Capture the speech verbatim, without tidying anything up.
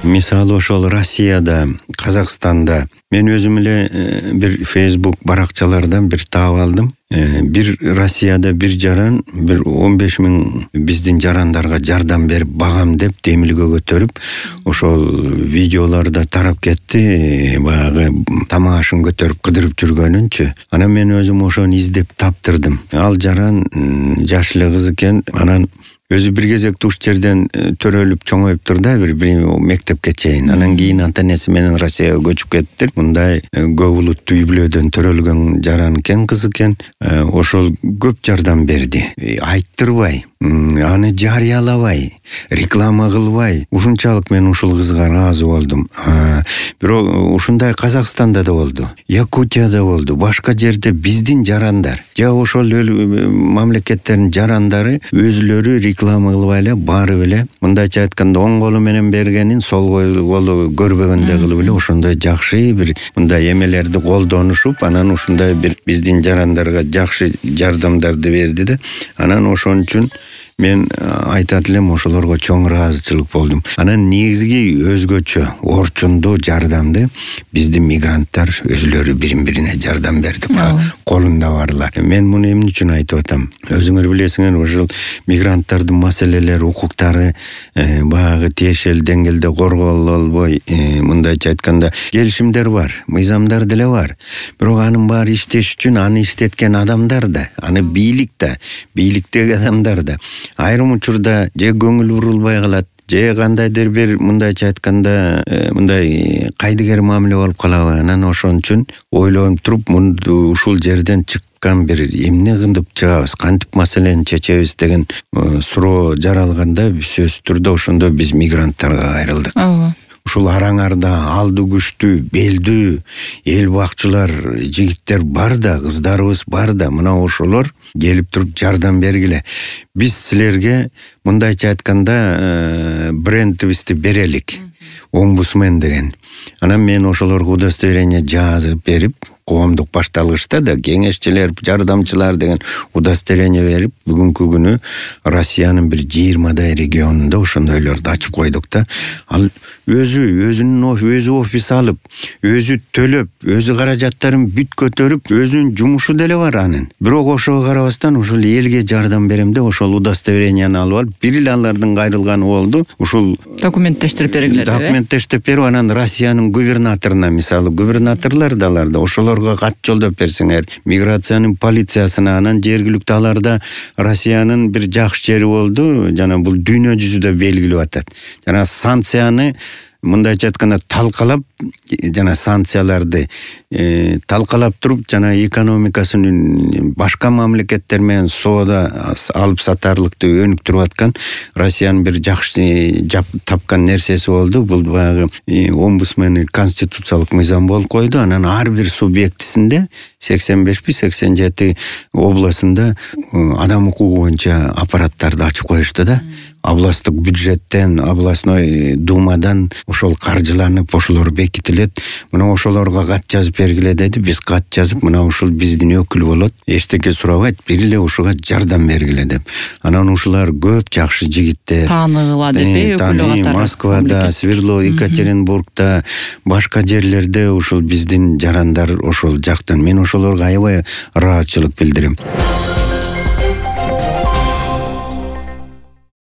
Мисалы ошол Россияда, Казакстанда мен өзүм эле бир Facebook баракчалардан бир таап алдым. Бир Россияда бир жаран бир он беш миң биздин жарандарга жардам берип багам деп демилге көтөрүп, ошол видеолордо тарап кетти. Баягы тамак ашын көтөрүп кыдырып жүргөнүнчү. Анан мен өзүм ошону издеп таптырдым. Ал жаран жаш эле кыз экен. Анан өзү бир кезекте уш жерден төрөлүп чоңоюптур да, бир мектепке чейин. Анан кийин ата энеси менен Россияга көчүп кеттир. Мындай көп улуттуу үй бүлөдөн төрөлгөн жаран экен, кыз экен. Ошол көп жардам берди. Айттырбай, аны жарыялабай, реклама кылбай. Ушунчалык мен ушул кызга ыраазы болдум. Бирок ушундай Казакстанда да болду, Якутияда болду, башка жерде биздин жарандар, же ошол мамлекеттердин жарандары өзүлөрү реклама кылбай эле, барып эле, мындайча айтканда оң колу менен бергенин сол колу көрбөгөндөй кылып эле ошондой жакшы бир мындай эмелерди колдонушуп, анан ушундай бир биздин жарандарга жакшы жардамдарды берди да. Анан ошон үчүн мен айтат элем, ошолорго чоң ыраазычылык болдум. Анан негизги өзгөчө орчундуу жардамды биздин мигранттар өзүлөрү бирин-бирине жардам берди. Колунда барлар. Мен муну эмне үчүн айтып атам? Өзүңөр билесиңер, ошол мигранттардын маселелери, укуктары баягы тиешелүү деңгээлде корголо албой, мындайча айтканда келишимдер бар, мыйзамдар деле бар. Бирок анын баары иштеш үчүн аны иштеткен адамдар да, аны бийлик да, бийликтеги адамдар да айрым учурда же көңүл бурулбай калат, же кандайдыр бир мындайча айтканда мындай кайдыгер мамиле болуп калабы. Анан ошон үчүн ойлонуп туруп, мунду ушул жерден чыккан бир эмне кылып чыгабыз, кантип маселени чечебиз деген суроо жаралганда сөзсүз түрдө ошондо биз мигранттарга кайрылдык. Ушул араңарда алды күчтүү, белдүү эл бакчылар, жигиттер бар да, кыздарыбыз бар да, мына ошолор келип туруп жардам бергиле. Биз силерге мындайча айтканда брендибизди берелик. Омбудсмен деген. Анан мен ошолорго удостоверение жазып берип, коомдук башталгычта да кеңешчилер, жардамчылар деген удостоверение берип, бүгүнкү күнү Россиянын бир жыйырмадай регионунда ошондойлорду ачып койдук да. Ал өзү өзүнүн өзү офис алып, өзү төлөп, өзү каражаттарын бүт көтөрүп, өзүнүн жумушу деле бар анын. Бирок ошого карабастан ушул элге жардам берем деп ошол удостоверениени алып алып, бир эле алардын кайрылганы болду. Ушул документтештирип бергиле деп. Документтештирип берип, анан Россиянын губернаторуна, мисалы, губернаторлор да аларда ошолорго кат жолдоп берсеңер, миграциянын полициясына, анан жергиликтүү аларда Россиянын бир жакшы жери болду, жана бул дүйнө жүзүдө белгилеп атат. Жана санкцияны мындайча айтканда талкалап, жана санкцияларды э, талкалап туруп, жана экономикасын башка мамлекеттер менен соода алып сатарлыкты өнүктүрүп аткан Россиянын бир жакшы жап тапкан нерсеси болду. Бул баягы э, омбудсмени конституциялык мыйзам болуп койду. Анан ар бир субъектисинде сексен бешпи сексен жети областында э, адам укугу боюнча аппараттарды ачып коюшту да. Областтык бюджеттен, областной думадан ошол каржыланып, ошолор бекитилет. Мына ошолорго кат жазып бергиле деди. Биз кат жазып, мына ушул биздин өкүл болот, эчтеке сурабайт, бир эле ушуга жардам бергиле деп. Анан ушулар көп жакшы жигиттер. Тааныгыла деп, өкүлү катары. Москвада, Свердлов, Екатеринбургда, башка жерлерде ушул биздин жарандар ошол жактан. Мен ошолорго аябай ыраазычылык билдирем.